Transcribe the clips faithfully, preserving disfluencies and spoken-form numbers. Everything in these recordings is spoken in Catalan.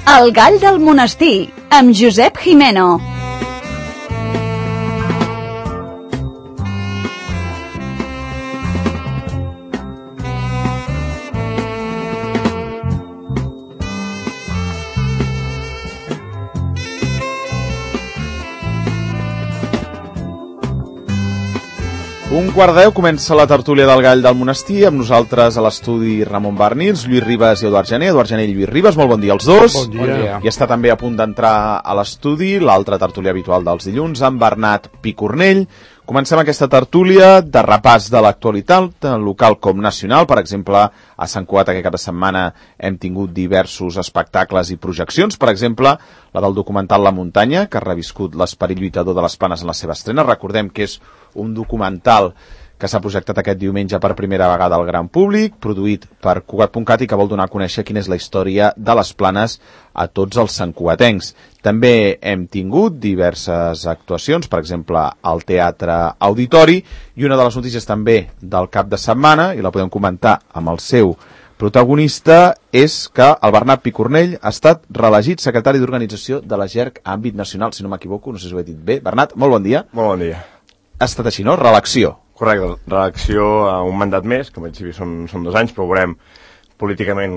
El gall del monestir, amb Josep Jimeno. Un quart deu comença la tertúlia del gall del monestir, amb nosaltres a l'estudi Ramon Barnils, Lluís Ribas i Eduard Gené. Eduard Gené i Lluís Ribas, molt bon dia als dos. Bon dia. Bon dia. I està també a punt d'entrar a l'estudi l'altra tertúlia habitual dels dilluns, amb Bernat Picornell. Comencem aquesta tertúlia de repàs de l'actualitat, tant local com nacional. Per exemple, a Sant Cugat aquest cap de setmana hem tingut diversos espectacles i projeccions. Per exemple, la del documental La Muntanya, que ha reviscut l'esperit lluitador de les Planes en la seva estrena. Recordem que és un documental que s'ha projectat aquest diumenge per primera vegada al gran públic, produït per Cugat punt cat i que vol donar a conèixer quina és la història de les Planes a tots els santcugatencs. També hem tingut diverses actuacions, per exemple, al Teatre Auditori, i una de les notícies també del cap de setmana, i la podem comentar amb el seu protagonista, és que el Bernat Picornell ha estat reelegit secretari d'organització de la G E R C a àmbit nacional, si no m'equivoco, no sé si ho he dit bé. Bernat, molt bon dia. Molt bon dia. Ha estat així, no? Reelecció. Correcte, reelecció a un mandat més, que en principi són, són dos anys, però veurem políticament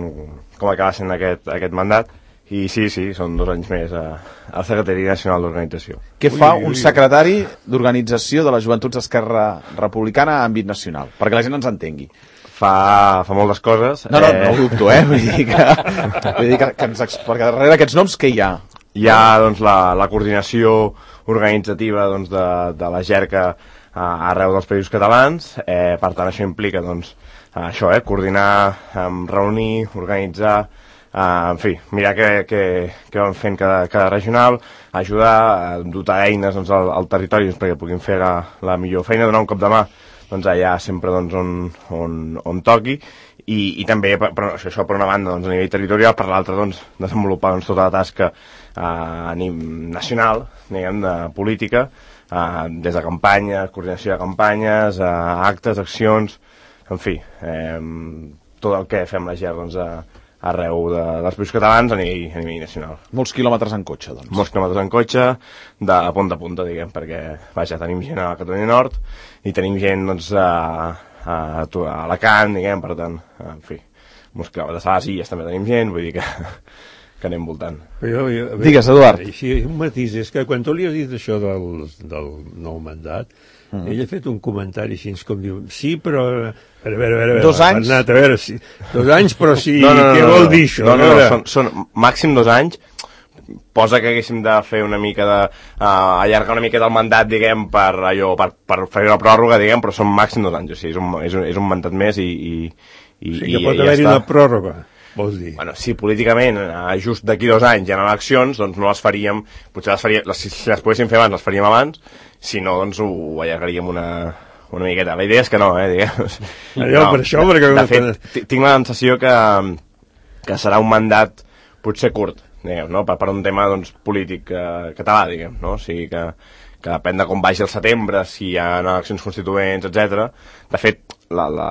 com acaba sent aquest, aquest mandat. I sí, sí, són dos anys més a, a la Secretaria Nacional d'Organització. Què fa un secretari d'organització de les Joventuts d'Esquerra Republicana a àmbit nacional? Perquè la gent ens entengui. Fa, fa moltes coses. No, no, eh... no ho dubto, eh? Vull dir que, vull dir que, que ens, perquè darrere d'aquests noms, què hi ha? Hi ha doncs, la, la coordinació organitzativa doncs, de, de la G E R C a, arreu dels països catalans. Eh, per tant, això implica doncs, això, eh, coordinar, eh, reunir, organitzar, Uh, en fi, mirar què, què, què van fent cada, cada regional, ajudar a dotar eines doncs, al, al territori doncs, perquè puguin fer la, la millor feina, donar un cop de mà doncs, allà sempre doncs, on, on, on toqui i, i també per, per, això per una banda doncs, a nivell territorial, per l'altra doncs, desenvolupar doncs, tota la tasca uh, a nivell nacional, diguem, de política, uh, des de campanyes, coordinació de campanyes, uh, actes, accions, en fi, eh, tot el que fem la G E R doncs, a arreu de, dels països catalans a nivell, a nivell nacional. Molts quilòmetres en cotxe, doncs. Molts quilòmetres en cotxe, de punta a punta, diguem, perquè, vaja, tenim gent a Catalunya Nord i tenim gent, doncs, a, a, a Alacant, diguem, per tant, en fi, molts quilòmetres a les Illes també tenim gent, vull dir que, que anem voltant. Jo, jo, veure, Digues, Eduard. Sí, un matís, és que quan tu li has dit això del, del nou mandat, mm. ell ha fet un comentari així com diu, sí, però... A veure, a veure, a veure, dos anys? Bernat, a veure, sí, dos anys, però sí, no, no, no, què no, vol no, dir això? No, no, no, són, són màxim dos anys, posa que haguéssim de fer una mica de... Uh, allargar una mica del mandat, diguem, per allò, per, per fer una pròrroga, diguem, però són màxim dos anys, o sigui, és un, és un, és un mandat més i... i, i o sigui, que pot i, haver-hi ja una pròrroga, vols dir? Bueno, si políticament just d'aquí dos anys hi ha eleccions, doncs no les faríem, potser les faríem, les, si les poguéssim fer abans, les faríem abans, si no, doncs ho allargaríem una... una miqueta. La idea és que no, eh, diguem. Allò, no, per això, perquè... De fet, tinc la sensació que, que serà un mandat potser curt, diguem, no? Per, per un tema, doncs, polític eh, català, diguem, no? O sigui que, que depèn de com vagi el setembre, si hi ha eleccions constituents, etcètera. De fet, la, la,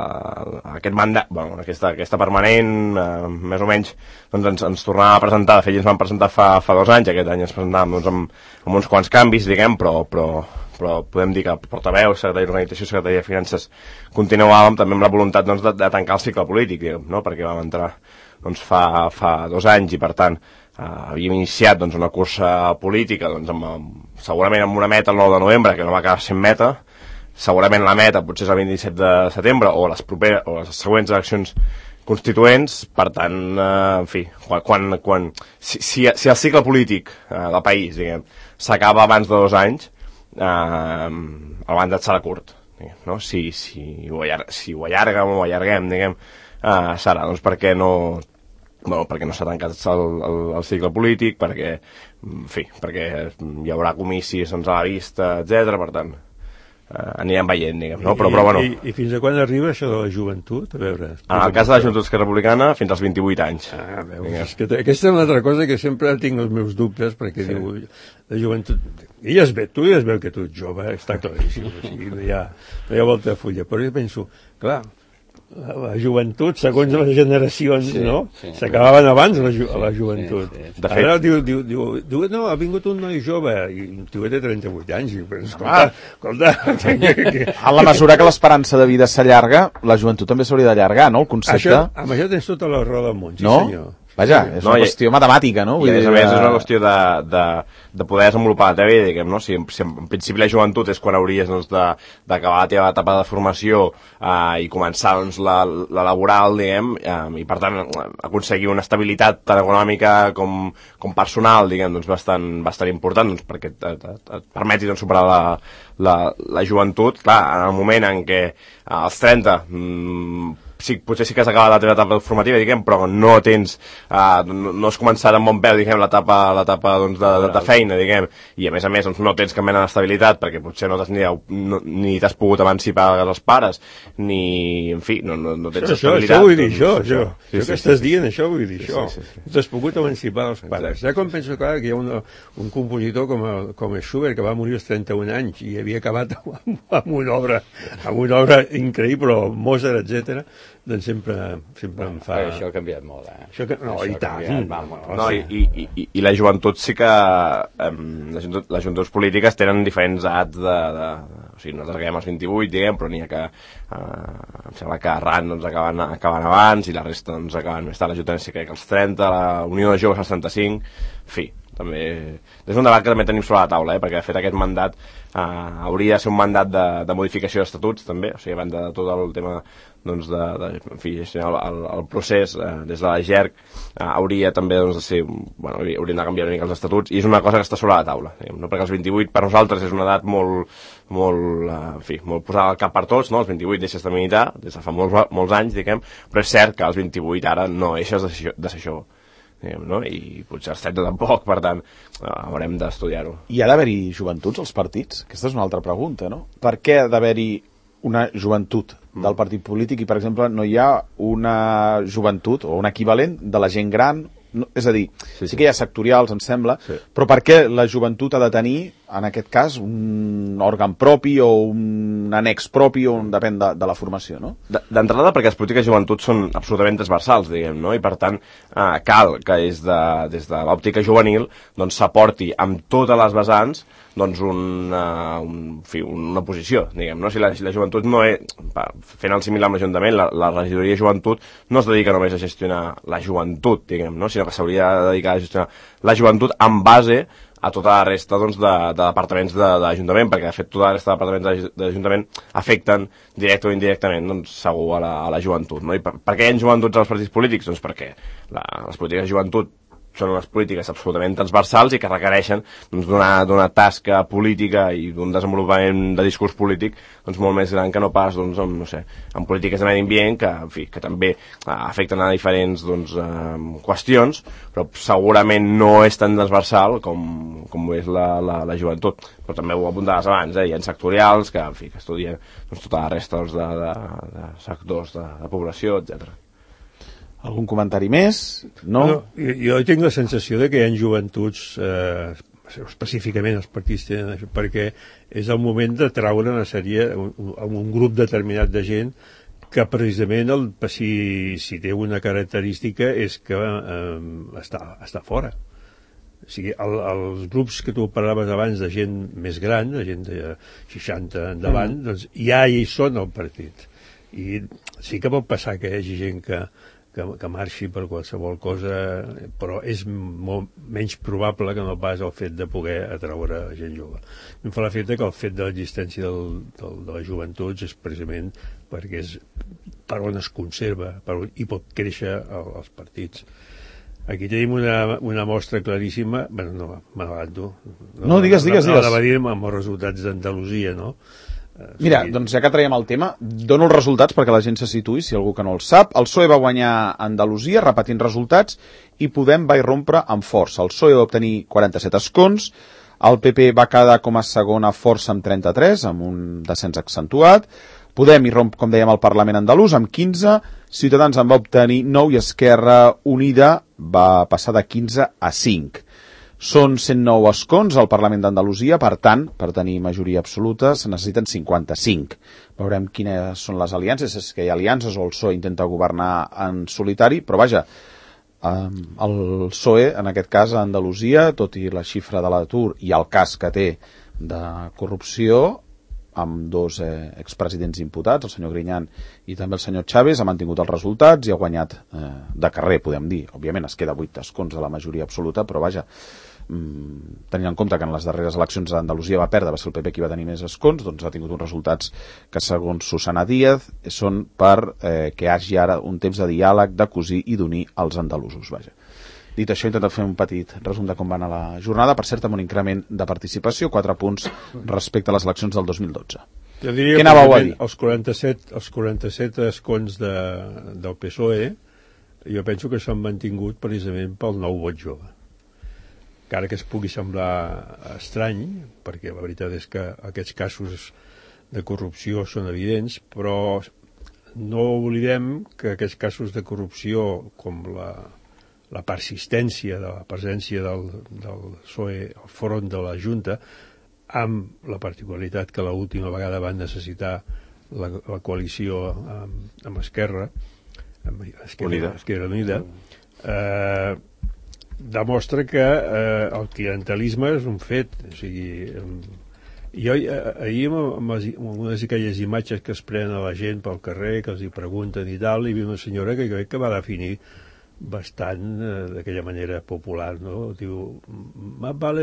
aquest mandat, bueno, aquesta, aquesta permanent, eh, més o menys, doncs ens, ens tornava a presentar, de fet, ja ens van presentar fa, fa dos anys, aquest any ens presentàvem doncs, amb, amb uns quants canvis, diguem, però... però però podem dir que portaveu, secretari d'Organització, secretari de Finances, continuàvem també amb la voluntat doncs, de, de tancar el cicle polític, diguem, no? Perquè vam entrar doncs, fa, fa dos anys i, per tant, eh, havíem iniciat doncs, una cursa política doncs, amb, amb, segurament amb una meta el nou de novembre, que no va acabar sent meta, segurament la meta potser és el vint-i-set de setembre o les, properes, o les següents eleccions constituents, per tant, eh, en fi, quan, quan, quan, si, si, si el cicle polític eh, del país, diguem, s'acaba abans de dos anys, Uh, el mandat serà curt, no? si, si, ho allarga, si ho allarguem o ho allarguem, diguem, uh, serà doncs perquè no, bueno, perquè no s'ha tancat el, el, el cicle polític, perquè, en fi, perquè hi haurà comicis doncs, a la vista, etcètera. Per tant, uh, anirem veient, diguem, no? Però, I, però, bueno... I, I fins a quan arriba això de la joventut? A veure... En el cas de la Joventut Esquerra Republicana, fins als vint-i-vuit anys. Ah, veus, és que aquesta és una altra cosa que sempre tinc els meus dubtes, perquè sí. Diu, la joventut... I ja es veu, tu ja es veu que tu ets jove, està claríssim, o sigui, no hi ha, no hi ha volta de fulla, però jo penso, clar, la joventut, segons les generacions, Sí, no? sí. S'acabaven abans la, ju la joventut. Sí, sí. De fet- Ara diu, diu, diu, diu, no, ha vingut un noi jove, i un tio té trenta-vuit anys, i, però, escolta, Ah. escolta, que, En la mesura que l'esperança de vida s'allarga, la joventut també s'hauria d'allargar, no? El concepte... això, amb això tens tota la raó del món, sí no? senyor. Vaja, és No, una i- qüestió matemàtica, no? I a més a dir, més és una eh, qüestió de, de, de poder desenvolupar la teva vida, diguem, no? Si, si en principi la joventut és quan hauries doncs, de- d'acabar la teva etapa de formació eh, i començar doncs, la, la laboral, diguem, eh, i per tant aconseguir una estabilitat tant econòmica com, com personal, diguem, doncs, bastant, bastant important, doncs, perquè et, et, et, et permeti doncs, superar la, la, la joventut. Clar, en el moment en què eh, als trenta mmm, sí, potser sí que has acabat la teva etapa formativa, diguem, però no tens, uh, no, no has començat amb bon peu, diguem, l'etapa l'etapa doncs, de, de, de feina, diguem, i a més a més doncs, no tens cap mena d'estabilitat, perquè potser no t'has ni, no, ni t'has pogut emancipar dels pares, ni, en fi, no, no, no tens Això, això, estabilitat. això vull dir, doncs, això, això. Sí, Això sí, que sí, estàs sí. dient, això vull dir, Sí, això. sí, sí, sí. No t'has pogut emancipar dels pares. Ja com penso, clar, que hi ha una, un compositor com, el, com el Schubert, que va morir als trenta-un anys i havia acabat amb, amb una obra, amb una obra increïble, Mozart, etcètera, doncs sempre, sempre em fa... Però això ha canviat molt, eh? Això que... No, Això i ha tant. canviat, vamos. No, i, i, i, i la joventut sí que eh, les, joventut, les joventuts polítiques tenen diferents edats de, de, o sigui, nosaltres acabem als vint-i-vuit, diguem, però n'hi ha que eh, em sembla que arran doncs, acaben, acaben abans i la resta doncs, acaben més tard. La joventut crec que als trenta, la Unió de Joves als trenta-cinc, en fi, també és un debat que també tenim sobre la taula, eh, perquè de fet aquest mandat eh, hauria de ser un mandat de, de modificació d'estatuts també, o sigui, a banda de tot el tema doncs de, de, en fi, el, el, el procés eh, des de la G E R C eh, hauria també doncs, de ser, bueno, hauríem de canviar una mica els estatuts, i és una cosa que està sobre la taula, diguem, no? Perquè els vint-i-vuit per nosaltres és una edat molt, molt, eh, en fi, molt posada al cap per tots, no? Els vint-i-vuit deixes de militar des de fa molts, molts anys, diguem, però és cert que als vint-i-vuit ara no deixes de ser, de ser jove, diguem, no? I potser als trenta tampoc, per tant eh, haurem d'estudiar-ho. Hi ha d'haver-hi joventuts als partits? Aquesta és una altra pregunta, no? Per què ha d'haver-hi una joventut del partit polític i, per exemple, no hi ha una joventut o un equivalent de la gent gran? No, és a dir, sí, sí. sí que hi ha sectorials, em sembla, sí. però per què la joventut ha de tenir, en aquest cas, un òrgan propi o un annex propi, o un, depèn de, de la formació, no? D'entrada, perquè les polítiques de joventut són absolutament transversals, diguem, no? I per tant, eh, cal que des de, des de l'òptica juvenil doncs s'aporti amb totes les vessants doncs un, uh, un, en fi, una posició, diguem, no? Si la, si la joventut no és, fent el similar amb l'Ajuntament, la, la regidoria de joventut no es dedica només a gestionar la joventut, diguem, no? Sinó que s'hauria de dedicar a gestionar la joventut en base a tota la resta doncs, de, de departaments de, de l'Ajuntament, perquè de fet tota la resta de departaments de, de l'Ajuntament afecten directe o indirectament doncs, segur a la, a la joventut, no? I per, per què hi ha joventuts als partits polítics? Doncs perquè la, les polítiques de joventut són unes polítiques absolutament transversals i que requereixen doncs, d'una tasca política i d'un desenvolupament de discurs polític doncs, molt més gran que no pas doncs, amb, no sé, amb polítiques de medi ambient que, en fi, que també eh, afecten a diferents doncs, eh, qüestions, però segurament no és tan transversal com, com és la, la, la joventut. Però també ho apuntaves abans, eh? Hi ha sectorials que, en fi, que estudien doncs, tota la resta doncs, de, de, de sectors de, de població, etcètera. Algun comentari més? No? no jo, jo tinc la sensació de que hi ha joventuts, eh, específicament els partits tenen això, perquè és el moment de traure una sèrie, un, un grup determinat de gent que precisament el, si, si té una característica és que eh, està, està fora. O sigui, el, els grups que tu parlaves abans de gent més gran, de gent de seixanta endavant, mm. doncs ja hi són al partit. I sí que pot passar que hi hagi gent que Que, que marxi per qualsevol cosa, però és molt menys probable que no pas el fet de poder atraure gent jove. Em fa l'efecte que el fet de l'existència del, del, de les joventuts és precisament perquè és per on es conserva per on, i pot créixer el, els partits. Aquí tenim una, una mostra claríssima, bueno, no, m'avanto. No, no, digues, digues, no, digues. No, no, dir amb els resultats d'Andalusia, no? Mira, doncs ja que traiem el tema, dono els resultats perquè la gent se situï, si algú que no el sap. El P S O E va guanyar a Andalusia, repetint resultats, i Podem va irrompre amb força. El P S O E va obtenir quaranta-set escons, el P P va quedar com a segona força amb trenta-tres, amb un descens accentuat, Podem irromp, com dèiem, al Parlament andalús amb quinze, Ciutadans en va obtenir nou i Esquerra Unida va passar de quinze a cinc. Són cent nou escons al Parlament d'Andalusia, per tant, per tenir majoria absoluta se necessiten cinquanta-cinc. Veurem quines són les aliances, és que hi ha aliances o el P S O E intenta governar en solitari, però vaja, el P S O E, en aquest cas a Andalusia, tot i la xifra de l'atur i el cas que té de corrupció, amb dos eh, expresidents imputats, el senyor Griñán i també el senyor Chávez, ha mantingut els resultats i ha guanyat eh, de carrer, podem dir. Òbviament es queda vuit escons de la majoria absoluta, però vaja, mm, tenint en compte que en les darreres eleccions d'Andalusia va perdre, va ser el P P qui va tenir més escons, doncs ha tingut uns resultats que, segons Susana Díaz, són per eh, que hi hagi ara un temps de diàleg, de cosir i d'unir els andalusos, vaja. Dit això, he intentat fer un petit resum de com va anar la jornada, per cert, amb un increment de participació, quatre punts respecte a les eleccions del dos mil dotze. Jo diria Què anàveu a dir? Els quaranta-set, els quaranta-set escons de, del P S O E, jo penso que s'han mantingut precisament pel nou vot jove. Encara que es pugui semblar estrany, perquè la veritat és que aquests casos de corrupció són evidents, però no oblidem que aquests casos de corrupció, com la la persistència de la presència del, del P S O E al front de la Junta, amb la particularitat que l'última vegada van necessitar la, la coalició amb, amb Esquerra, amb Esquerra Unida, Esquerra Unida eh, demostra que eh, el clientelisme és un fet. O sigui, eh, jo eh, ahir amb, les, amb unes d'aquelles imatges que es prenen a la gent pel carrer, que els hi pregunten i tal, i vi una senyora que crec que va definir bastant eh, d'aquella manera popular, no? Diu, más vale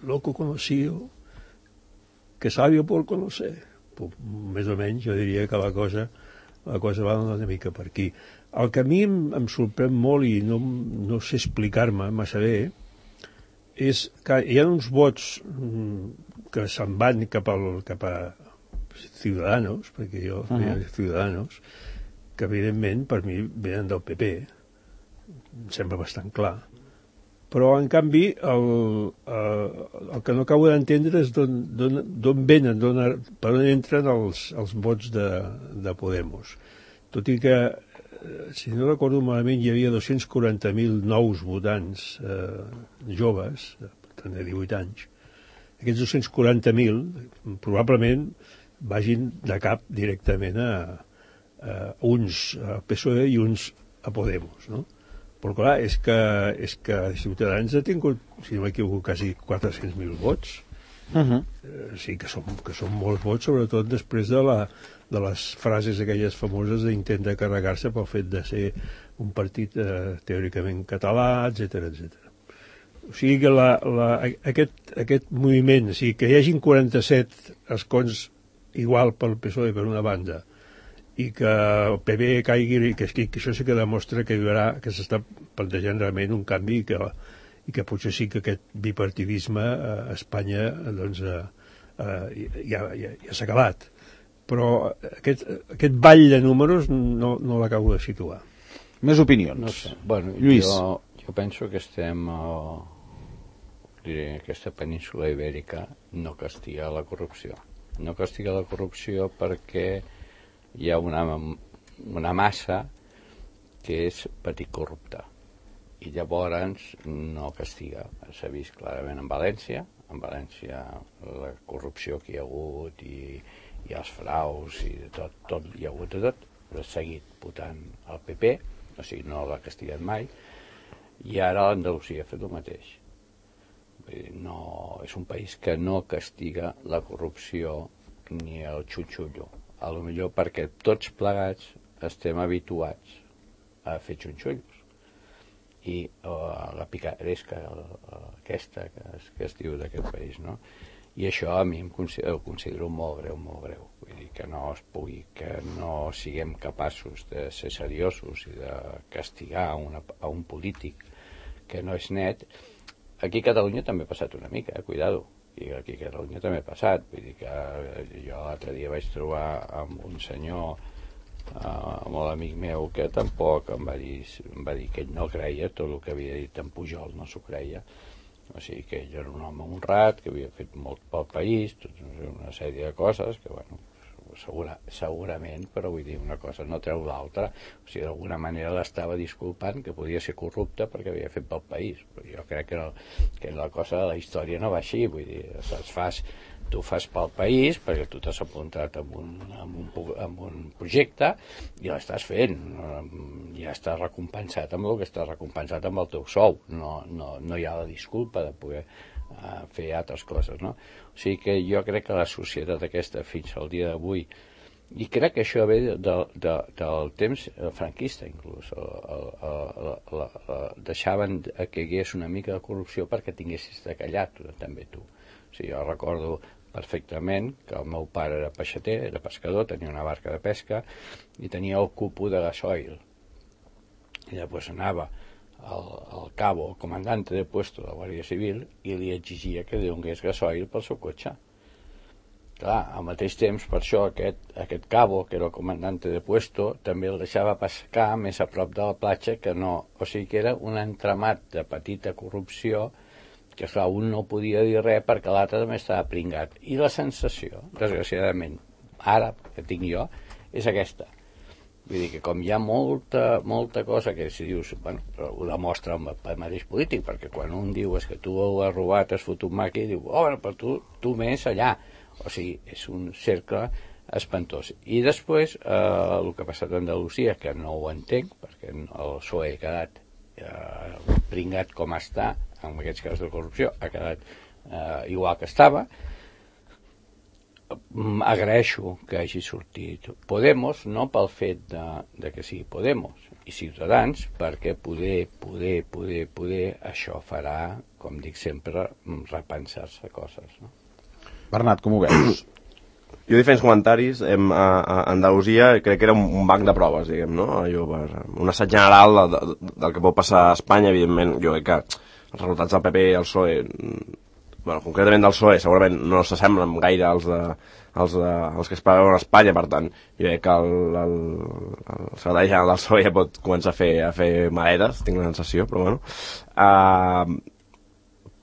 loco conocido que sabio por conocer. Pues, més o menys jo diria que la cosa la cosa va una mica per aquí. El que a mi em, em sorprèn molt i no, no sé explicar-me massa bé és que hi ha uns vots que se'n van cap, al, cap a Ciudadanos, perquè jo feia uh-huh. Ciudadanos, que evidentment per mi venen del P P, em sembla bastant clar, però en canvi el, el, el que no acabo d'entendre és d'on venen, don, per on entren els, els vots de, de Podemos, tot i que si no recordo malament hi havia dos-cents quaranta mil nous votants eh, joves, tant de divuit anys. Aquests dos-cents quaranta mil probablement vagin de cap directament a, a uns a P S O E i uns a Podemos, no? Però clar, és que, és que Ciutadans ha tingut, si no m'equivoco, quasi quatre-cents mil vots. Uh-huh. eh, sí que són, que són molts vots, sobretot després de, la, de les frases aquelles famoses d'intent de carregar-se pel fet de ser un partit eh, teòricament català, etcètera, etcètera. O sigui que la, la, aquest, aquest moviment, o sigui que hi hagin quaranta-set escons igual pel P S O E per una banda, i que el P B caigui, que, que, que això sí que demostra que hi haurà, que s'està plantejant realment un canvi i que, i que potser sí que aquest bipartidisme a Espanya doncs, eh, eh, ja, ja, ja s'ha acabat. Però aquest, aquest ball de números no, no l'acabo de situar. Més opinions. No sé. Bueno, Lluís. Jo, jo penso que estem a, diré, aquesta península ibèrica no castiga la corrupció. No castiga la corrupció perquè hi ha una, una massa que és petit corrupta i llavors no castiga. S'ha vist clarament en València, en València la corrupció que hi ha hagut i, i els fraus i de tot, tot hi ha hagut de tot, però ha seguit votant el P P, o sigui, no l'ha castigat mai, i ara l'Andalusia ha fet el mateix. Vull dir, no, és un país que no castiga la corrupció ni el xutxullo. A lo millor perquè tots plegats estem habituats a fer xunxullos i uh, la picaresca uh, aquesta que es, que es diu d'aquest país, no? I això a mi em considero, ho considero molt greu, molt greu. Vull dir que no es pugui, que no siguem capaços de ser seriosos i de castigar una, a un polític que no és net. Aquí a Catalunya també ha passat una mica, eh? Cuidado. I aquí a Catalunya també ha passat. Vull dir que jo l'altre dia vaig trobar amb un senyor, uh, molt amic meu, que tampoc em va dir, em va dir que ell no creia tot el que havia dit en Pujol, no s'ho creia. O sigui que ell era un home honrat, que havia fet molt pel país, tot, una sèrie de coses que, bueno, segura, segurament, però vull dir, una cosa no treu l'altra. O sigui, d'alguna manera l'estava disculpant que podia ser corrupte perquè havia fet pel país. Però jo crec que, no, que la cosa de la història no va així, vull dir, saps, fas, tu fas pel país perquè tu t'has apuntat amb un, amb un, amb un projecte i l'estàs fent, ja estàs recompensat amb el que estàs recompensat amb el teu sou, no, no, no hi ha la disculpa de poder uh, fer altres coses, no? O sigui que jo crec que la societat aquesta fins al dia d'avui, i crec que això ve de, de, de, del temps franquista inclús, el, el, el, el, el, deixaven que hi hagués una mica de corrupció perquè tinguessis de callar també tu. O sigui, jo recordo perfectament que el meu pare era peixater, era pescador, tenia una barca de pesca i tenia el cupo de gasoil. I llavors anava al, al cabo, el comandante de puesto de la Guàrdia Civil, i li exigia que li donés gasoil pel seu cotxe. Clar, al mateix temps, per això, aquest, aquest cabo, que era el comandante de puesto, també el deixava pescar més a prop de la platja que no. O sigui que era un entramat de petita corrupció que, esclar, un no podia dir res perquè l'altre també estava pringat. I la sensació, desgraciadament, ara que tinc jo, és aquesta. Vull dir que com hi ha molta, molta cosa que si dius, bueno, ho demostra el mateix polític, perquè quan un diu és que tu has robat, has fotut maqui, diu, oh, bueno, però tu, tu més allà. O sigui, és un cercle espantós. I després, eh, el que ha passat a Andalusia, que no ho entenc, perquè el P S O E ha quedat eh, pringat com està, en aquests casos de corrupció, ha quedat eh, igual que estava. Agraeixo que hagi sortit Podemos, no pel fet de, de que sigui Podemos i Ciutadans, perquè poder, poder, poder, poder, això farà, com dic sempre, repensar-se coses, no? Bernat, com ho veus? Jo diferents comentaris, em, a, a Andalusia crec que era un, un banc de proves, diguem, no? Jo, un assaig general de, de, del que pot passar a Espanya, evidentment, jo crec que els resultats del P P i el P S O E, bueno, concretament del P S O E, segurament no s'assemblen gaire als, de, als, de, als que es preveuen a Espanya, per tant, jo crec que el, el, el secretari general del P S O E ja pot començar a fer, a fer maletes, tinc la sensació, però bueno. Uh,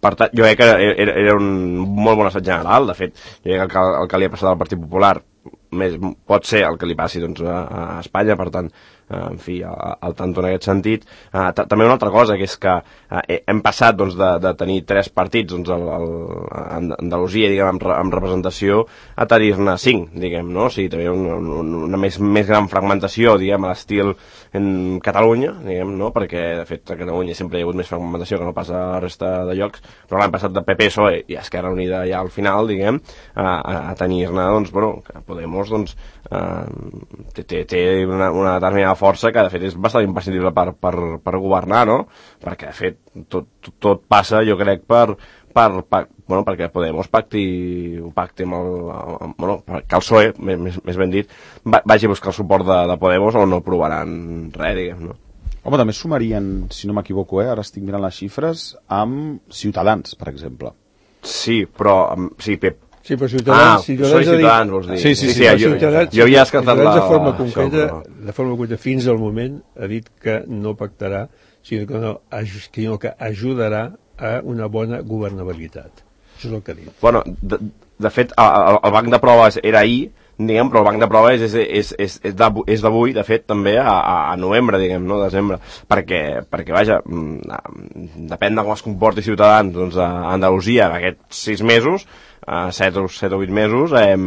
per tant, jo crec que era, era un molt bon assaig general, de fet, jo crec que el que, el que li ha passat al Partit Popular més, pot ser el que li passi doncs, a, a Espanya, per tant, en fi, al, al tanto en aquest sentit. Uh, també una altra cosa, que és que uh, hem passat doncs, de, de tenir tres partits doncs, el, el, a Andalusia, diguem, amb, amb representació, a tenir-ne cinc, diguem, no? O sigui, també una, una més, més gran fragmentació, diguem, a l'estil en Catalunya, diguem, no? Perquè, de fet, a Catalunya sempre hi ha hagut més fragmentació que no passa a la resta de llocs, però l'any passat de P P, P S O E i Esquerra Unida ja al final, diguem, a, a, a tenir-ne, doncs, bueno, que Podemos, doncs, uh, té, té una, una determinada força que de fet és bastant imprescindible per, per, per governar, no? Perquè de fet tot, tot, tot passa, jo crec, per, per, per bueno, perquè Podemos pacti, pacti amb el, amb, bueno, que el P S O E, més, més ben dit, vagi a buscar el suport de, de Podemos o no provaran res, diguem, no? Home, també sumarien, si no m'equivoco, eh, ara estic mirant les xifres, amb Ciutadans, per exemple. Sí, però, sí, Pep, sí, però Ciutadans... Ah, Ciutadans, Ciutadans, vols dir? Sí, sí, sí. sí, sí jo, jo havia descartat la... De forma concreta, això, però... de forma concreta, fins al moment, ha dit que no pactarà, sinó que, no, sinó que ajudarà a una bona governabilitat. Això és el que ha dit. Bueno, de, de fet, el, el banc de proves era ahir, diguem, però el banc de proves és, és, és, és d'avui, de fet, també a, a novembre, diguem, no, desembre, perquè, perquè vaja, depèn de com es comporti Ciutadans, doncs, a Andalusia en aquests sis mesos, a set o vuit mesos, eh,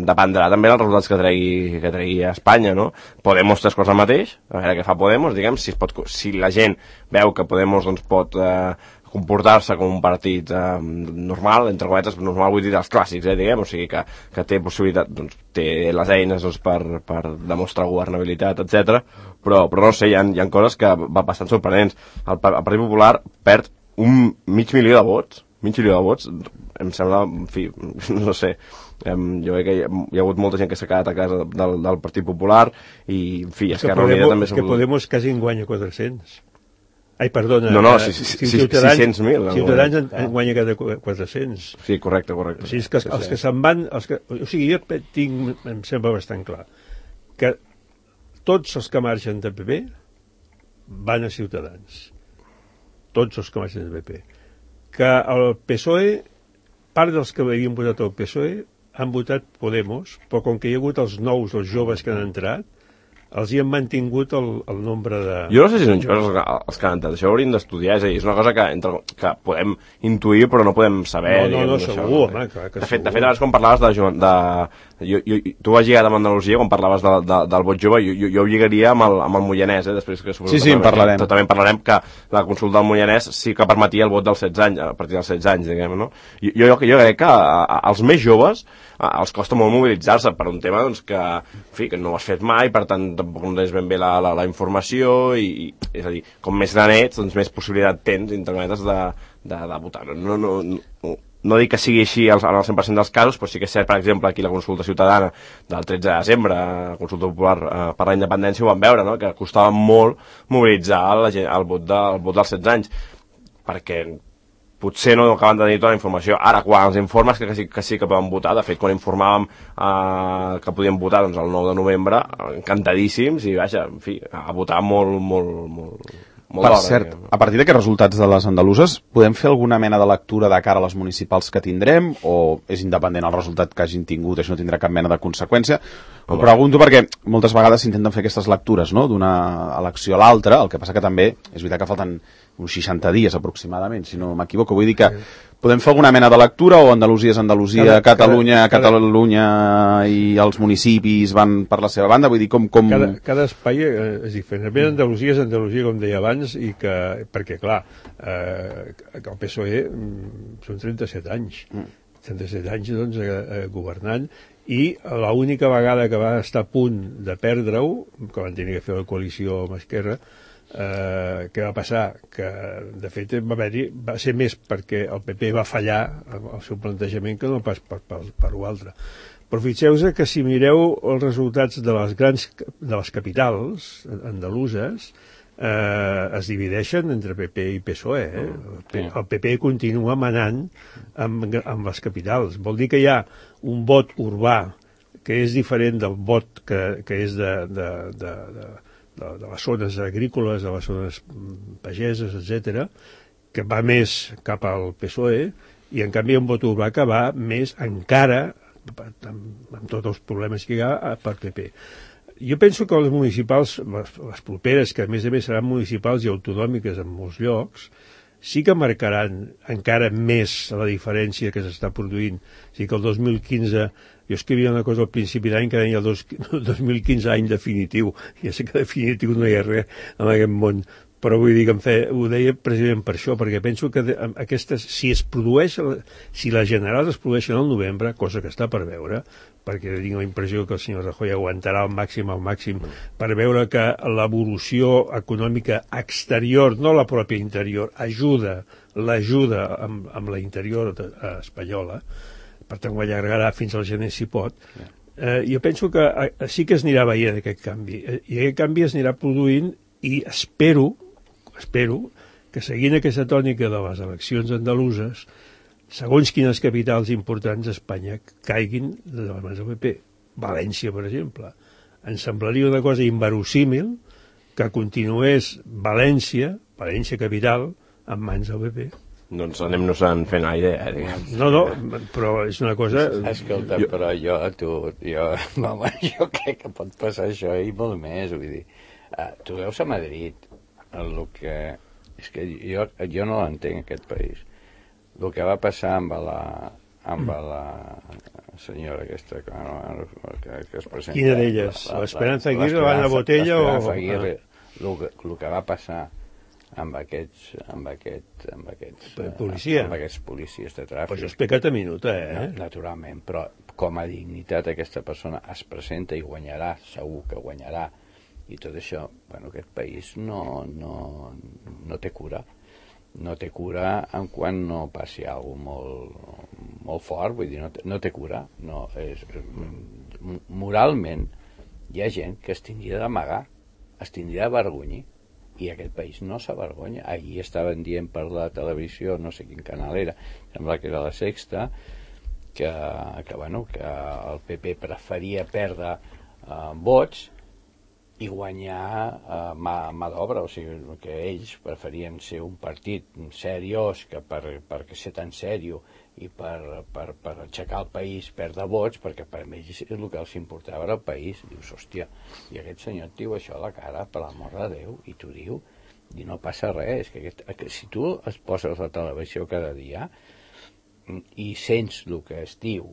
dependrà també dels resultats que tregui, que tregui a Espanya, no? Podemos tres coses al mateix, a veure què fa Podemos, diguem, si, es pot, si la gent veu que Podemos doncs, pot eh, comportar-se com un partit eh, normal, entre cometes, normal vull dir dels clàssics, eh, diguem, o sigui que, que té possibilitat, doncs, té les eines doncs, per, per demostrar governabilitat, etcètera. Però, però no sé, hi ha, hi ha coses que va bastant sorprenents. El, el Partit Popular perd un mig milió de vots, mig milió de vots, em sembla, en fi, no sé, em, jo crec que hi ha, hi ha hagut molta gent que s'ha quedat a casa del, del Partit Popular i, en fi, Esquerra Unida també... És que Podemos quasi en guanya quatre-cents. Ai, perdona. No, no, si, si, si, sis-cents mil. Ciutadans en, en guanya cada quatre-cents. Sí, correcte, correcte. O sigui, que els, els que se'n van... Els que, o sigui, jo tinc, em sembla bastant clar, que tots els que marxen del P P van a Ciutadans. Tots els que marxen del P P. Que el P S O E, part dels que havien votat el P S O E, han votat Podemos, però com que hi ha hagut els nous, els joves que han entrat, els hi han mantingut el, el nombre de... Jo no sé si són joves els, els que han entrat, això ho hauríem d'estudiar, és a dir, és una cosa que, entre, que podem intuir però no podem saber. No, no, no, això, segur, home, clar que de fet, segur. de fet, abans quan parlaves de... de jo, jo, tu has lligat amb Andalusia, quan parlaves de, de, del vot jove, jo, jo, jo ho lligaria amb el, amb el Moianès, eh, després que... Sí, sí, en parlarem. També en parlarem que la consulta del Moianès sí que permetia el vot dels setze anys, a partir dels setze anys, diguem, no? Jo, jo, jo crec que a, a, als més joves a, els costa molt mobilitzar-se per un tema doncs, que, en fi, que no ho has fet mai, per tant tampoc no tens ben bé la, la, la informació i, i, és a dir, com més gran ets, doncs més possibilitat tens, internetes, de, de, de votar. No, no, no, no dic que sigui així en el cent per cent dels casos, però sí que és cert, per exemple, aquí la consulta ciutadana del tretze de desembre, la consulta popular eh, per la independència, ho vam veure, no? Que costava molt mobilitzar la gent, el, vot de, el vot dels setze anys, perquè potser no acaben de tenir tota la informació. Ara, quan els informes que sí que, sí que poden votar, de fet, quan informàvem eh, que podien votar doncs, el nou de novembre, encantadíssims, i vaja, en fi, a votar molt, molt, molt... Molt per d'hora, cert, diguem. a partir d'aquests resultats de les andaluses, podem fer alguna mena de lectura de cara a les municipals que tindrem, o és independent el resultat que hagin tingut, això no tindrà cap mena de conseqüència? Ho pregunto perquè moltes vegades s'intenten fer aquestes lectures, no?, d'una elecció a l'altra, el que passa que també és veritat que falten uns seixanta dies aproximadament, si no m'equivoco. Vull dir que podem fer alguna mena de lectura, o Andalusia és Andalusia, cada, Catalunya, cada, Catalunya i els municipis van per la seva banda? Vull dir, com... com... Cada, cada espai és diferent. A Andalusia és Andalusia, com deia abans, i que, perquè, clar, eh, el P S O E són trenta-set anys. trenta-set anys, doncs, eh, governant, i l'única vegada que va estar a punt de perdre-ho, que van tenir que fer la coalició amb Esquerra, eh, què va passar? Que, de fet, va, haver va ser més perquè el P P va fallar el seu plantejament que no pas per, per, per l'altre. Però fixeu-vos que si mireu els resultats de les grans de les capitals andaluses, eh, es divideixen entre P P i P S O E. Eh? El, P, el P P continua manant amb, amb les capitals. Vol dir que hi ha un vot urbà que és diferent del vot que, que és de, de, de, de, de, de les zones agrícoles, de les zones pageses, etcètera, que va més cap al P S O E, i en canvi un vot urbà que va més encara, amb, amb tots els problemes que hi ha, per P P. Jo penso que les municipals, les, les properes, que a més a més seran municipals i autonòmiques en molts llocs, sí que marcaran encara més la diferència que s'està produint. O sigui que el dos mil quinze, jo escrivia una cosa al principi d'any que deia el dos, dos mil quinze any definitiu. Ja sé que definitiu no hi ha res en aquest món, però vull dir que em fe, ho deia precisament per això, perquè penso que de, aquestes, si es produeix, si les generals es produeixen al novembre, cosa que està per veure, perquè tinc la impressió que el senyor Rajoy aguantarà al màxim, al màxim, per veure que l'evolució econòmica exterior, no la pròpia interior, ajuda, l'ajuda amb, amb la interior espanyola, per tant ho allargarà fins al gener si pot. Eh, jo penso que eh, sí que es anirà veient aquest canvi, eh, i aquest canvi es anirà produint, i espero, espero que seguint aquesta tònica de les eleccions andaluses, segons quines capitals importants d'Espanya caiguin de les mans del P P. València, per exemple. Ens semblaria una cosa inverosímil que continués València, València capital, en mans del P P. Doncs anem-nos-en fent la idea, diguem. No, no, però és una cosa... Escolta, jo... però jo, tu, jo, home, jo crec que pot passar això i molt més, vull dir. Uh, tu veus a Madrid, el que... És que jo, jo no l'entenc, aquest país. El que va passar amb la, amb la senyora aquesta que, que, que es presenta... Quina d'elles? L'Esperanza Aguirre, l'Anna Botella o... L'Esperanza Aguirre, el, el que va passar amb aquests... amb aquest, amb aquests... Policia. Amb aquests policies de tràfic. Però això és pecat a minuta, eh? Naturalment, però com a dignitat aquesta persona es presenta i guanyarà, segur que guanyarà, i tot això, bueno, aquest país no, no, no té cura. No té cura en quan no passi alguna cosa molt, molt fort, vull dir, no té, no té cura. No, és, moralment, hi ha gent que es tindria d'amagar, es tindria d'avergonyir, i aquest país no s'avergonya. Ahir estaven dient per la televisió, no sé quin canal era, sembla que era la Sexta, que, que, bueno, que el P P preferia perdre eh, vots i guanyar eh, mà, mà d'obra, o sigui, que ells preferien ser un partit seriós que per, perquè ser tan sèrio i per, per, per aixecar el país perdre vots, perquè per ells el que els importava era el país. Dius, hòstia, i aquest senyor et diu això a la cara, per l'amor de Déu, i t'ho diu, i no passa res. És que, aquest, que si tu es poses a la televisió cada dia i sents el que es diu,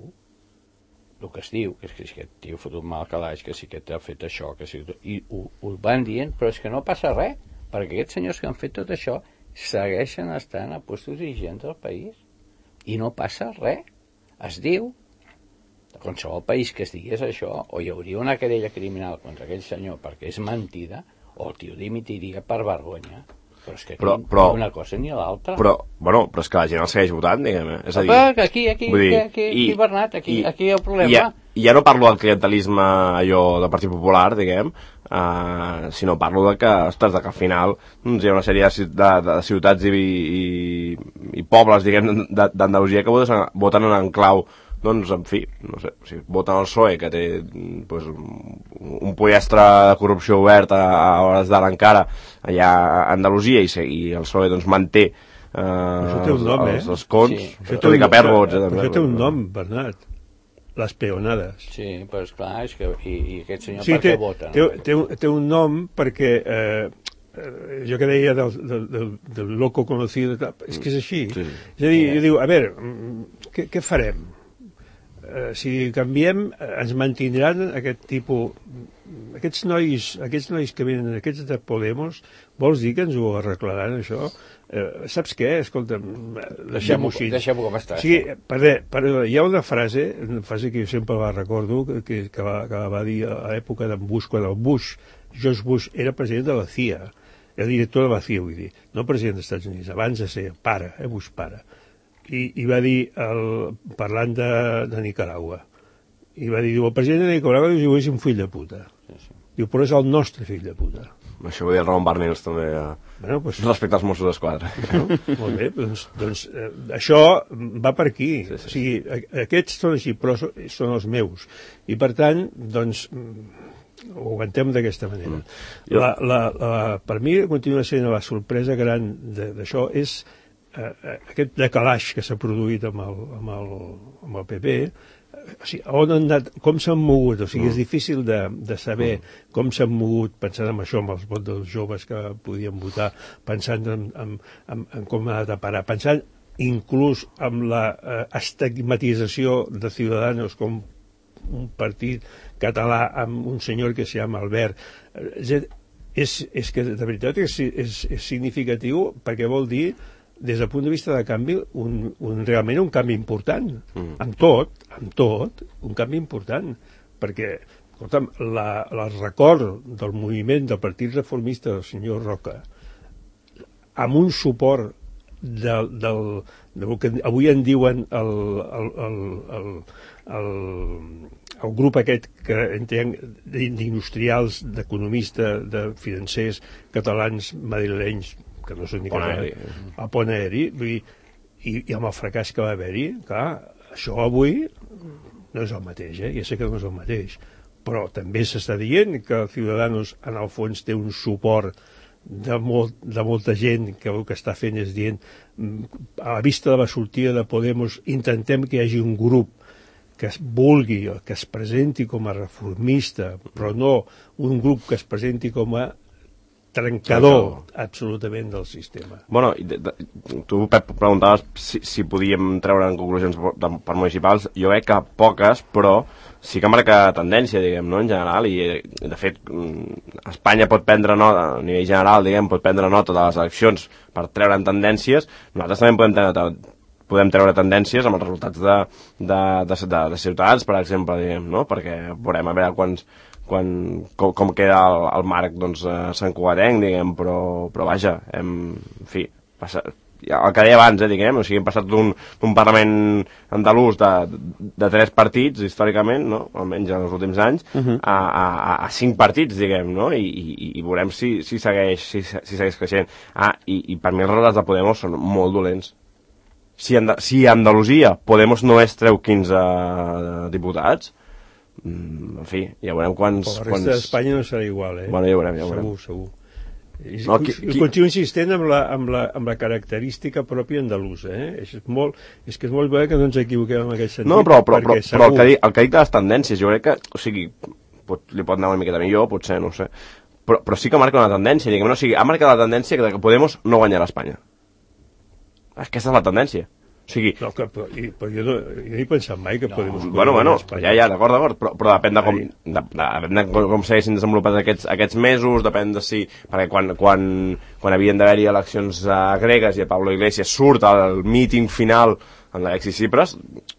el que es diu, que és que si aquest tio ha fotut mal calaix, que si aquest ha fet això, que si... i ho, ho van dient, però és que no passa res, perquè aquests senyors que han fet tot això segueixen estant a puestos dirigents del país i no passa res. Es diu, de qualsevol país que es digués això, o hi hauria una querella criminal contra aquell senyor perquè és mentida, o el tio dimitiria per vergonya. Però és que aquí però, però, ni una cosa ni l'altra. Però, bueno, però és que la gent el segueix votant, diguem. És a dir, Apa, aquí, aquí, dir, aquí, aquí, i, Bernat, aquí, i, aquí hi ha el problema. Ja, ja no parlo del clientelisme allò del Partit Popular, diguem, uh, sinó parlo de que, ostres, de que al final doncs, hi ha una sèrie de, de, de ciutats i, i, i pobles, diguem, d'Andalusia que voten, voten en clau, doncs, en fi, no sé, si voten el P S O E, que té pues, un pollastre de corrupció obert a, a hores d'ara encara allà a Andalusia, i, i el P S O E doncs, manté eh, té un nom, els, eh? els cons, Sí. tot i que perd vots. Eh, Però això té un nom, Bernat. Les peonades. Sí, però esclar, és que... I, i aquest senyor Sí, per té, què vota? té, No? té, un, té un nom perquè eh, eh, jo que deia del, del, del, del loco conocido, és que és així. Sí. És a dir, jo diu, a veure, què, què farem? Eh, si canviem, eh, ens mantindran aquest tipus... Aquests nois, aquests nois que venen, aquests de Podemos, vols dir que ens ho arreglaran, això? Eh, saps què? Escolta'm, deixem-ho així. Deixem-ho com està. O sigui, per, per, hi ha una frase, una frase que jo sempre la recordo, que, que, va, que va dir a l'època d'en Bush, quan el Bush, George Bush, era president de la C I A, el director de la C I A, vull dir, no president dels Estats Units, abans de ser pare, eh, Bush pare. I, i va dir, el, parlant de, de Nicaragua, i va dir, el president de Nicaragua diu, és un fill de puta. Sí, sí. Diu, però és el nostre fill de puta. Això ho deia el Ramon Barnils també, eh, Bueno, pues, respecte als Mossos d'Esquadra. no? Molt bé, doncs, doncs eh, això va per aquí. Sí, sí, sí. O sigui, a, aquests són així, però són, són els meus. I per tant, doncs, ho aguantem d'aquesta manera. Mm. La, la, la, per mi continua sent la sorpresa gran d'això és eh, aquest decalaix que s'ha produït amb el, amb el, amb el P P. O sigui, on han anat, com s'han mogut, o sigui, mm. és difícil de, de saber mm. com s'han mogut, pensant en això, amb els vots dels joves que podien votar, pensant en, en, en, en com ha anat a parar, pensant inclús en la eh, estigmatització de Ciudadanos com un partit català amb un senyor que se llama Albert. És, és, és que de veritat és, és, és significatiu perquè vol dir des del punt de vista de canvi, un, un, realment un canvi important. Mm. Amb tot, amb tot, un canvi important. Perquè, escolta'm, la, la record del moviment del Partit Reformista del senyor Roca, amb un suport del, del, del que avui en diuen el, el, el, el, el, el grup aquest que entenc d'industrials, d'economistes, de financers catalans, madrilenys, que no són ni Poneri. a Poneri, i, i amb el fracàs que va haver-hi, clar, això avui no és el mateix, eh? Ja sé que no és el mateix, però també s'està dient que Ciudadanos en el fons té un suport de, molt, de molta gent que el que està fent és dient, a la vista de la sortida de Podemos, intentem que hi hagi un grup que es vulgui, que es presenti com a reformista, però no un grup que es presenti com a trencador absolutament del sistema. Bueno, de, de, tu, Pep, preguntaves si, si podíem treure en conclusions de, per municipals. Jo crec que poques, però sí que marca tendència, diguem, no?, en general, i de fet Espanya pot prendre nota, a nivell general, diguem, pot prendre nota de les eleccions per treure'n tendències. Nosaltres també podem treure, podem treure tendències amb els resultats de, de, de, de, de Ciutadans, per exemple, diguem, no?, perquè veurem a veure quants quan, com, com queda el, el marc, doncs, a Sant Cugatenc, diguem, però, però vaja, hem, en fi, passa, el que deia abans, eh, diguem, o sigui, hem passat d'un Parlament andalús de, de tres partits, històricament, no?, almenys en els últims anys, uh -huh. a, a, a cinc partits, diguem, no?, i, i, i veurem si, si, segueix, si, si segueix creixent. Ah, i, i per mi els resultats de Podemos són molt dolents. Si, Anda si a Andalusia Podemos només treu quinze diputats, en fi, ja veurem quants... Però la resta quants... d'Espanya no serà igual, eh? Bueno, ja veurem, ja veurem. Segur, segur. I, No, qui, qui... Continuo insistent amb la, amb, la, amb la característica pròpia andalusa, eh? És, molt, és que és molt bé que no ens equivoquem en aquest sentit. No, però, però, però, segur... però el, que dic, el que dic de les tendències, jo crec que, o sigui, pot, li pot anar una miqueta millor, potser, no ho sé, però, però sí que marca una tendència, diguem, no? O sigui, ha marcat la tendència que, que Podemos no guanyarà a Espanya. Aquesta és la tendència. O sigui... No, que, però, i, però jo, no, jo no he pensat mai que no. Podemos... Bueno, bueno, ja, ja, d'acord, d'acord, però, però depèn de com, de, de, de com, com s'haguessin desenvolupat aquests, aquests mesos, depèn de si... Perquè quan, quan, quan havien d'haver-hi eleccions uh, gregues i el Pablo Iglesias surt al míting final en l'Alexis Tsipras,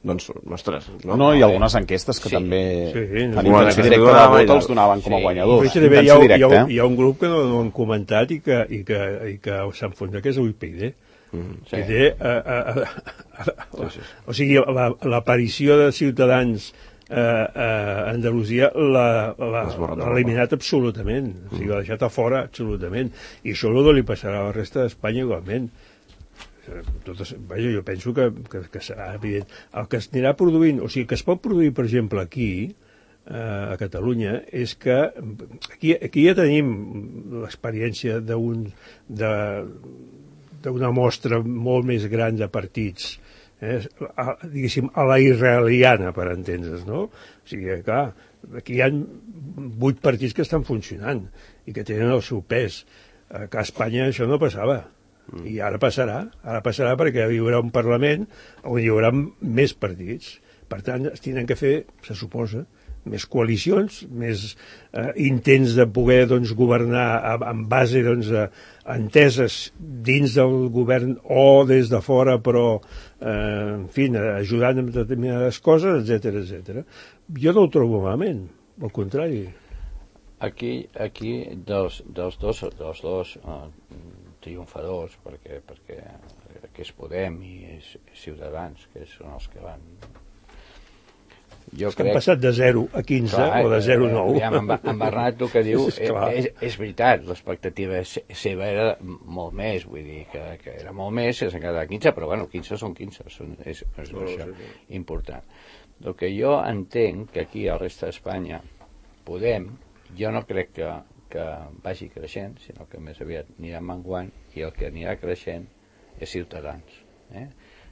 doncs, ostres... No, no i algunes enquestes que sí. també sí, en intenció directa de vot els donaven com a guanyadors. Sí. Hi, ha, hi, ha, hi ha un grup que no, no han comentat i que, i que, i que s'enfonsa, que és el U P Y D. Mm, sí. I té, uh, uh, uh, uh, sí, sí. O sigui, l'aparició de Ciutadans uh, uh, a Andalusia l'ha eliminat absolutament, mm. o sigui, l'ha deixat a fora absolutament, i això no li passarà a la resta d'Espanya igualment. Totes, vaja, jo penso que, que, que serà evident. El que es anirà produint, o sigui, que es pot produir, per exemple, aquí, uh, a Catalunya, és que aquí, aquí ja tenim l'experiència d'un... de d'una mostra molt més gran de partits, eh? a, diguéssim, a la israeliana, per entendre's, no? O sigui, clar, aquí hi ha vuit partits que estan funcionant i que tenen el seu pes. A Espanya això no passava. Mm. I ara passarà. Ara passarà perquè hi haurà un Parlament on hi haurà més partits. Per tant, es tenen que fer, se suposa, més coalicions, més eh, intents de poder doncs, governar en base doncs, a enteses dins del govern o des de fora, però eh, en fi, ajudant en determinades coses, etcètera, etcètera. Jo no ho trobo malament, al contrari. Aquí, aquí dels, dels dos, dels dos uh, triomfadors, perquè, perquè que és Podem i és Ciutadans, que són els que van... Jo crec... Han passat de zero a quinze, clar, o de zero a nou. Ja, en, en Bernat el que diu és, és, és veritat, l'expectativa seva era molt més, vull dir que, que era molt més, s'ha quedat a quinze, però bueno, quinze són quinze, són, és, és no, això sí, sí. important. El que jo entenc que aquí al resta d'Espanya Podem, jo no crec que, que vagi creixent, sinó que més aviat anirà menguant, i el que anirà creixent és Ciutadans. Eh?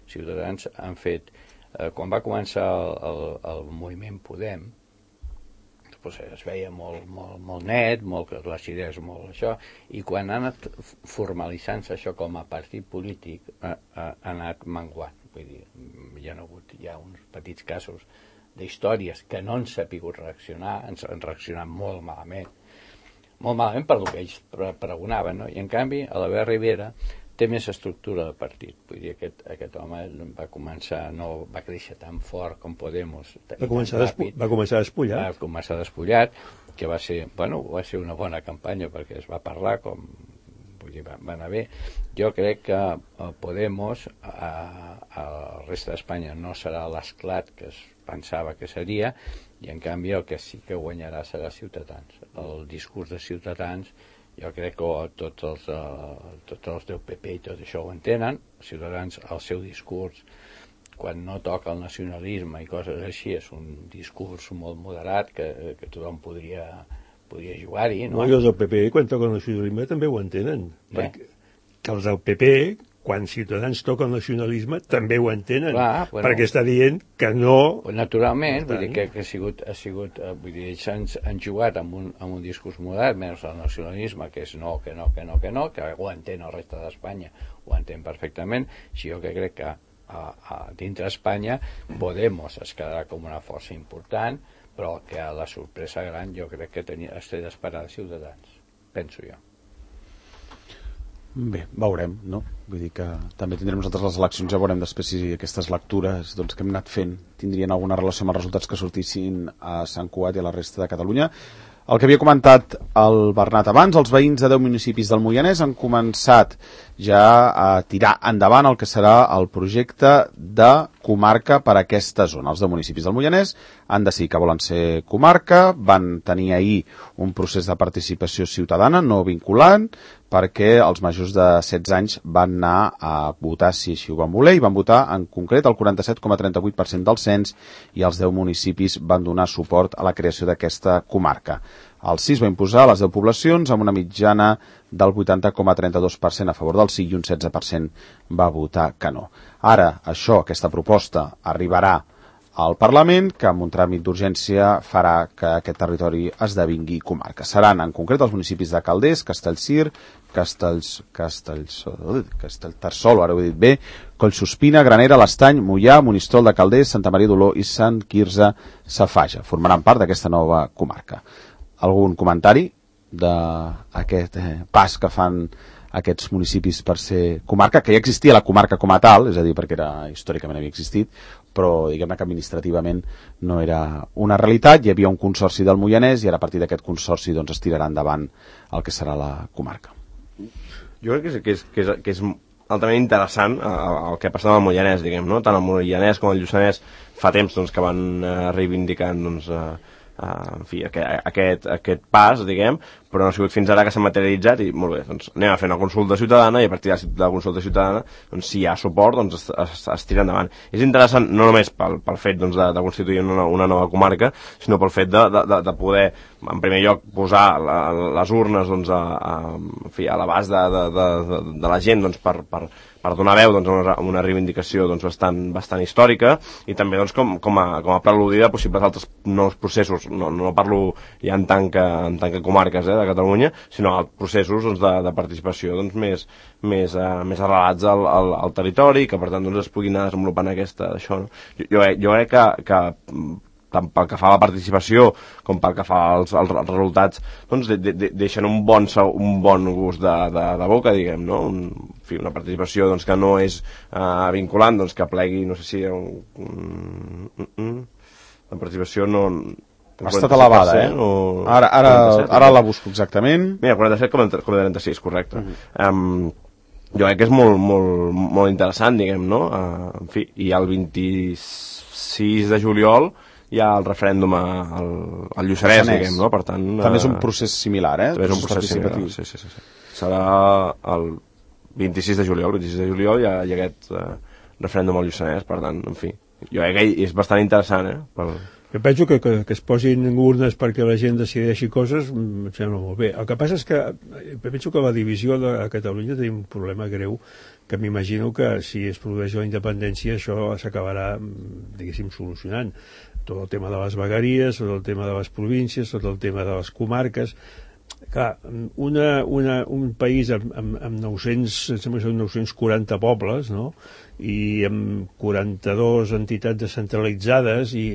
Ciutadans han fet... Eh, quan va començar el, el, el moviment Podem, doncs es veia molt, molt, molt net, molt, les idees molt això, i quan ha anat formalitzant-se això com a partit polític, ha, ha anat menguant. Vull dir, hi ha hagut ja uns petits casos d'històries que no han sapigut reaccionar, han, han reaccionat molt malament, molt malament per el que ells pregonaven, no? I en canvi, a la Vera Rivera té més estructura de partit. Vull dir, aquest, aquest home va començar, no va créixer tan fort com Podemos. Va començar, ràpid, va començar despullat. Va començar despullat, que va ser, bueno, va ser una bona campanya perquè es va parlar com, vull dir, va, va anar bé. Jo crec que Podemos a, a la resta d'Espanya no serà l'esclat que es pensava que seria, i en canvi el que sí que guanyarà serà Ciutadans. El discurs de Ciutadans, jo crec que tots els, uh, tots els del P P i tot això ho entenen. Ciutadans, el seu discurs, quan no toca el nacionalisme i coses així, és un discurs molt moderat que, que tothom podria, podria jugar-hi, no? No, i els del P P, quan toca el nacionalisme, també ho entenen. Eh? Perquè, que els del P P, quan Ciutadans toca el nacionalisme, també ho entenen. Clar, bueno, perquè està dient que no... Naturalment, vull dir que, que ha sigut... Ha sigut vull dir, ells han, han jugat amb un, amb un discurs moderat, menys el nacionalisme, que és no, que no, que no, que no, que ho entén el reste d'Espanya, ho entén perfectament. Si jo que crec que a, a, dintre d'Espanya Podemos es quedarà com una força important, però que a la sorpresa gran jo crec que tenia, es té d'esperar de Ciutadans, penso jo. Bé, veurem, no? Vull dir que també tindrem nosaltres les eleccions, ja veurem després si aquestes lectures doncs, que hem anat fent tindrien alguna relació amb els resultats que sortissin a Sant Cugat i a la resta de Catalunya. El que havia comentat el Bernat abans, els veïns de deu municipis del Moianès han començat ja a tirar endavant el que serà el projecte de comarca per a aquesta zona. Els deu municipis del Moianès han decidit que volen ser comarca, van tenir ahir un procés de participació ciutadana no vinculant, perquè els majors de setze anys van anar a votar si així ho van voler, i van votar en concret el quaranta-set coma trenta-vuit per cent del cens, i els deu municipis van donar suport a la creació d'aquesta comarca. El sis va imposar a les deu poblacions amb una mitjana del vuitanta coma trenta-dos per cent a favor del sí i un setze per cent va votar que no. Ara, això, aquesta proposta, arribarà al Parlament, que amb un tràmit d'urgència farà que aquest territori esdevingui comarca. Seran en concret els municipis de Calders, Castellcir, Castells, Castells, Castellterçol, ara ho he dit bé, Collsuspina, Granera, l'Estany, Moià, Monistrol de Calders, Santa Maria d'Oló i Sant Quirze Safaja. Formaran part d'aquesta nova comarca. Algun comentari d'aquest eh, pas que fan aquests municipis per ser comarca, que ja existia la comarca com a tal, és a dir, perquè era, històricament havia existit, però diguem-ne que administrativament no era una realitat, hi havia un consorci del Moianès i ara a partir d'aquest consorci doncs, es tirarà endavant el que serà la comarca. Jo crec que és, que és, que és, que és altament interessant el que ha passat amb el Moianès, diguem, no? Tant el Moianès com el Lluçanès fa temps doncs, que van eh, reivindicant doncs, eh, Uh, en fi, aquest, aquest, aquest pas, diguem, però no ha sigut fins ara que s'ha materialitzat i molt bé, doncs anem a fer una consulta ciutadana i a partir de la consulta ciutadana doncs, si hi ha suport, doncs es, es, es tira endavant. És interessant no només pel, pel fet doncs, de, de constituir una, una nova comarca, sinó pel fet de, de, de poder, en primer lloc, posar la, les urnes doncs, a, a, en fi, a l'abast de, de, de, de la gent doncs, per, per, per donar veu doncs, a una, una reivindicació doncs, bastant, bastant històrica i també doncs, com, com, a, com a preludi de possibles altres nous processos. No, no parlo ja en tant que, en tant que comarques eh, de Catalunya, sinó processos doncs, de, de participació doncs, més, més, uh, més arrelats al, al, al territori, que per tant doncs, es puguin anar desenvolupant aquesta, això. No? Jo, jo, jo crec que, que tant pel que fa a la participació com pel que fa als, als resultats, doncs de, de, deixen un bon, un bon gust de, de, de boca, diguem, no? Un, en fi, una participació doncs, que no és uh, vinculant, doncs, que plegui, no sé si... Un, un, un, un, la participació no... Ha estat elevada, eh? O... Ara, ara, ara la busco exactament. Mira, quaranta-set coma trenta-sis, correcte. Uh-huh. Um, jo crec que és molt, molt, molt interessant, diguem, no? Uh, en fi, i el vint-i-sis de juliol hi ha el referèndum al, al Lluçanès, diguem, no? Per tant... També és un procés similar, eh? També és un procés similar, sí, sí, sí, sí. Serà el vint-i-sis de juliol, el vint-i-sis de juliol hi ha, hi ha aquest uh, referèndum al Lluçanès, per tant, en fi. Jo crec que és bastant interessant, eh? Per... Jo penso que, que, que es posin urnes perquè la gent decideixi coses, em sembla molt bé. El que passa és que penso que la divisió de a Catalunya tenim un problema greu, que m'imagino que si es produeix la independència això s'acabarà, diguéssim, solucionant. Tot el tema de les vegueries, tot el tema de les províncies, tot el tema de les comarques. Clar, una, una, un país amb, amb, amb nou-cents, em sembla que són nou-cents quaranta pobles, no? I amb quaranta-dues entitats descentralitzades i,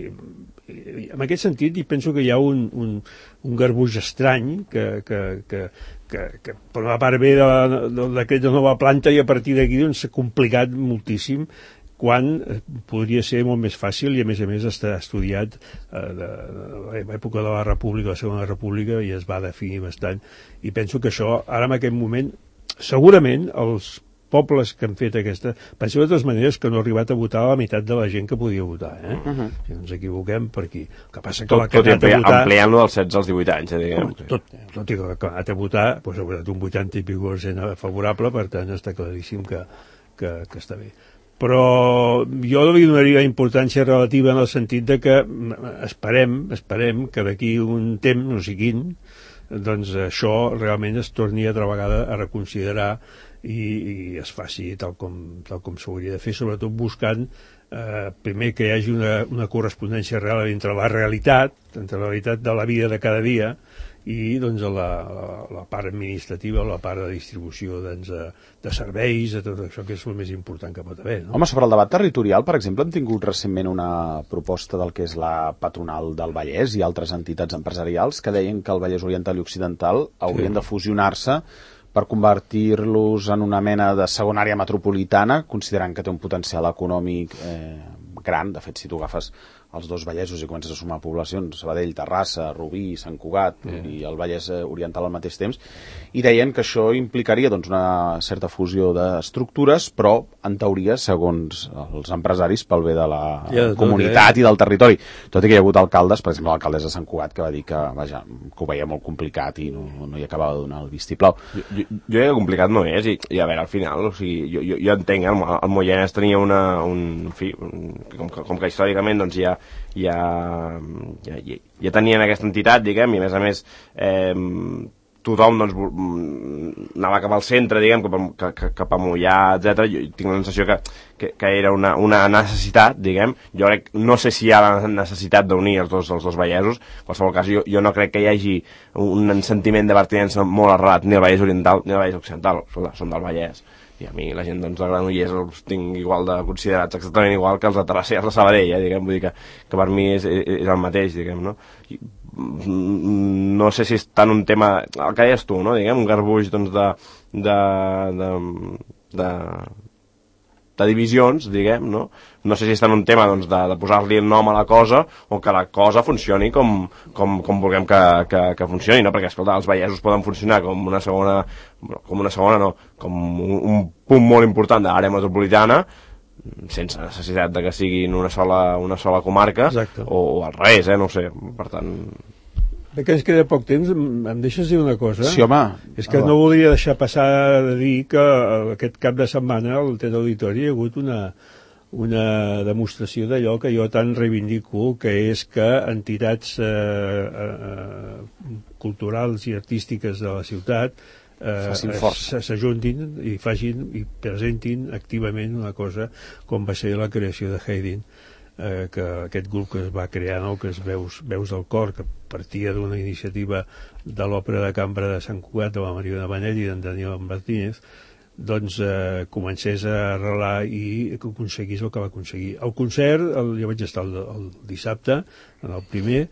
i en aquest sentit i penso que hi ha un, un, un garbuix estrany que, que, que, que, que per una part ve del decret de nova planta i a partir d'aquí doncs, s'ha complicat moltíssim quan podria ser molt més fàcil i a més a més està estudiat eh, de, de l'època de la República, la Segona República, i es va definir bastant, i penso que això ara en aquest moment segurament els pobles que han fet aquesta... Penseu de totes maneres que no ha arribat a votar la meitat de la gent que podia votar, eh? Uh-huh. Si no ens equivoquem per aquí. El que passa que tot, la que ha anat a votar... ampliant-lo dels setze als divuit anys, eh, diguem. Tot, tot i que la que ha anat a votar doncs, ha votat un vuitanta i pico per cent favorable, per tant està claríssim que, que, que està bé. Però jo li donaria importància relativa en el sentit de que esperem, esperem que d'aquí un temps, no sé quin, doncs això realment es torni altra vegada a reconsiderar i, i es faci tal com, tal com s'hauria de fer, sobretot buscant eh, primer que hi hagi una, una correspondència real entre la realitat, entre la realitat de la vida de cada dia i doncs, la, la, la part administrativa, la part de distribució doncs, de, de serveis, de tot això que és el més important que pot haver. No? Home, sobre el debat territorial, per exemple, hem tingut recentment una proposta del que és la patronal del Vallès i altres entitats empresarials que deien que el Vallès Oriental i Occidental haurien sí. de fusionar-se per convertir-los en una mena de segona àrea metropolitana, considerant que té un potencial econòmic eh, gran. De fet, si tu agafes els dos Vallesos i comences a sumar poblacions, Sabadell, Terrassa, Rubí, Sant Cugat yeah. i el Vallès Oriental al mateix temps, i deien que això implicaria doncs, una certa fusió d'estructures, però en teoria, segons els empresaris, pel bé de la yeah, tot, comunitat eh? i del territori. Tot i que hi ha hagut alcaldes, per exemple l'alcaldessa de Sant Cugat, que va dir que, vaja, que ho veia molt complicat i no, no hi acabava de donar el vistiplau. Jo, jo, jo crec que complicat no és, i, i a veure, al final, o sigui, jo, jo, jo entenc, el, el Moianès tenia una, un, en fi, un, com, que, com que històricament doncs, ja Ja, ja, ja, ja tenien aquesta entitat, diguem, i a més a més eh, tothom doncs, anava cap al centre, diguem, cap a, cap, cap a Moià, etcètera. Jo tinc la sensació que, que, que era una, una necessitat, diguem. Jo crec, no sé si hi ha la necessitat d'unir els dos, els dos vallesos. En qualsevol cas, jo, jo no crec que hi hagi un sentiment de pertinença molt arrelat ni al Vallès Oriental ni al Vallès Occidental, són del Vallès. I a mi la gent doncs, de Granollers els tinc igual de considerats exactament igual que els de Terrassa i els de Sabadell, eh, diguem, vull dir que, que per mi és, és el mateix, diguem, no? I, no sé si és tant un tema, el que deies tu, no? Diguem, un garbuix doncs, de, de, de, de, de divisions, diguem, no? No sé si és tant un tema doncs, de, de posar-li el nom a la cosa o que la cosa funcioni com, com, com vulguem que, que, que funcioni, no? Perquè, escolta, els vallesos poden funcionar com una segona, com una segona no, com un, un punt molt important de l'àrea metropolitana, sense necessitat de que siguin una sola, una sola comarca, o, o al revés, eh? No ho sé, per tant... Bé, que ens queda poc temps, em deixes dir una cosa? Sí, home. És que no volia deixar passar de dir que aquest cap de setmana al Teatre Auditori hi ha hagut una, una demostració d'allò que jo tant reivindico, que és que entitats eh, eh, culturals i artístiques de la ciutat s'ajuntin i facin i presentin activament una cosa com va ser la creació de Haydn. Eh, que aquest grup que es va crear, no? Que es Veus, Veus del Cor, que partia d'una iniciativa de l'Òpera de Cambra de Sant Cugat de la Mariona Benet i d'en Daniel Martínez, doncs eh, comencés a arrelar i que aconseguís el que va aconseguir. El concert, el, jo vaig estar el, el dissabte, en el primer,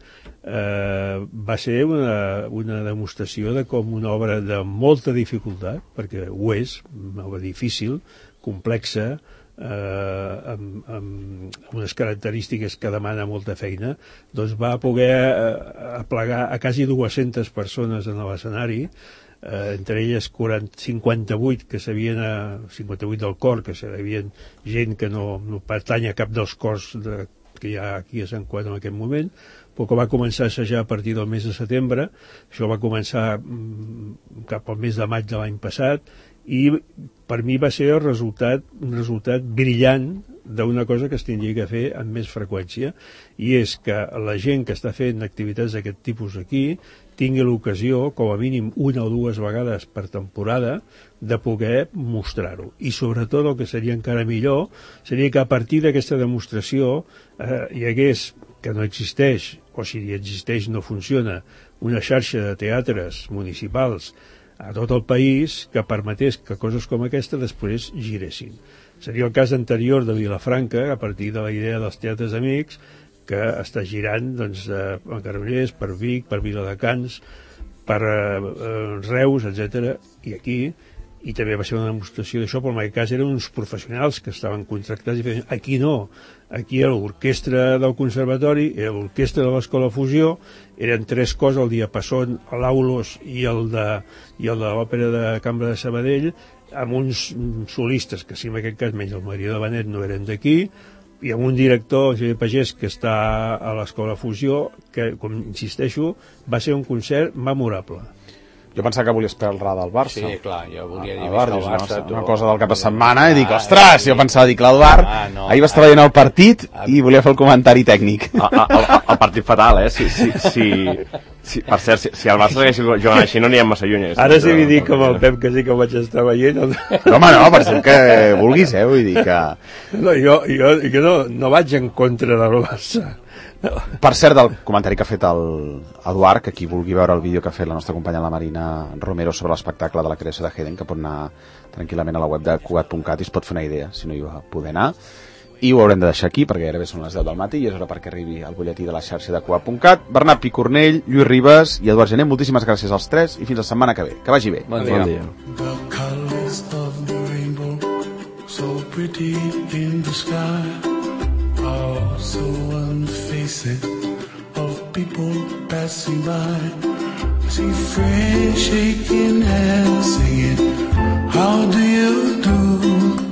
eh, va ser una, una demostració de com una obra de molta dificultat, perquè ho és, una obra difícil, complexa, Eh, amb, amb unes característiques que demana molta feina, doncs va poder eh, aplegar a quasi dues-centes persones en l'escenari, eh, entre elles quaranta, cinquanta-vuit que s'havien a, cinquanta-vuit del cor, que s'havien gent que no, no pertany a cap dels cors de, que hi ha aquí a Sant Cugat en aquest moment, però que va començar a assajar a partir del mes de setembre. Això va començar mm, cap al mes de maig de l'any passat, i per mi va ser el resultat, un resultat brillant d'una cosa que es tindria que fer amb més freqüència, i és que la gent que està fent activitats d'aquest tipus aquí tingui l'ocasió, com a mínim una o dues vegades per temporada, de poder mostrar-ho. I sobretot el que seria encara millor seria que a partir d'aquesta demostració eh, hi hagués, que no existeix, o si existeix no funciona, una xarxa de teatres municipals a tot el país que permetés que coses com aquesta després giressin. Seria el cas anterior de Vilafranca, a partir de la idea dels teatres amics, que està girant doncs, a Granollers, per Vic, per Viladecans, per eh, Reus, etcètera, i aquí, i també va ser una demostració d'això, però en aquest cas eren uns professionals que estaven contractats i feien, aquí no, aquí era l'orquestra del conservatori, era l'orquestra de l'Escola Fusió, eren tres cors, el Diapasón, l'Aulos i el de, i el de l'Òpera de Cambra de Sabadell, amb uns solistes que, si en aquest cas menys el Maria de Benet no eren d'aquí, i amb un director, Xavier Pagès, que està a l'Escola Fusió, que, com insisteixo, va ser un concert memorable. Jo pensava que volies parlar del Barça. Sí, clar, jo volia dir el Barça, el Barça una, una cosa del cap de setmana, i dic, ostres, jo pensava, dic, l'Eduard, ah, no, ahir va estar veient el partit i volia fer el comentari tècnic. El, el, el partit fatal, eh? Si, si, si, si, per cert, si, si el Barça hagués jugant així no anirem massa lluny. Ara sí que dic com el Pep, que sí que ho vaig estar veient. No, home, no, per ser que vulguis, eh? Vull dir que... No, jo, jo, jo no, no vaig en contra del Barça. No. Per cert, del comentari que ha fet l'Eduard, que qui vulgui veure el vídeo que ha fet la nostra companya la Marina Romero sobre l'espectacle de la creació de Haydn, que pot anar tranquil·lament a la web de cugat punt cat i es pot fer una idea, si no hi va poder anar. I ho haurem de deixar aquí, perquè gairebé són les deu del matí i és hora perquè arribi el butlletí de la xarxa de cugat punt cat. Bernat Picornell, Lluís Ribas i Eduard Gené, moltíssimes gràcies als tres i fins la setmana que ve. Que vagi bé. Bon dia. Bon dia. Oh, so unfacing of people passing by. See friends shaking hands, singing, how do you do?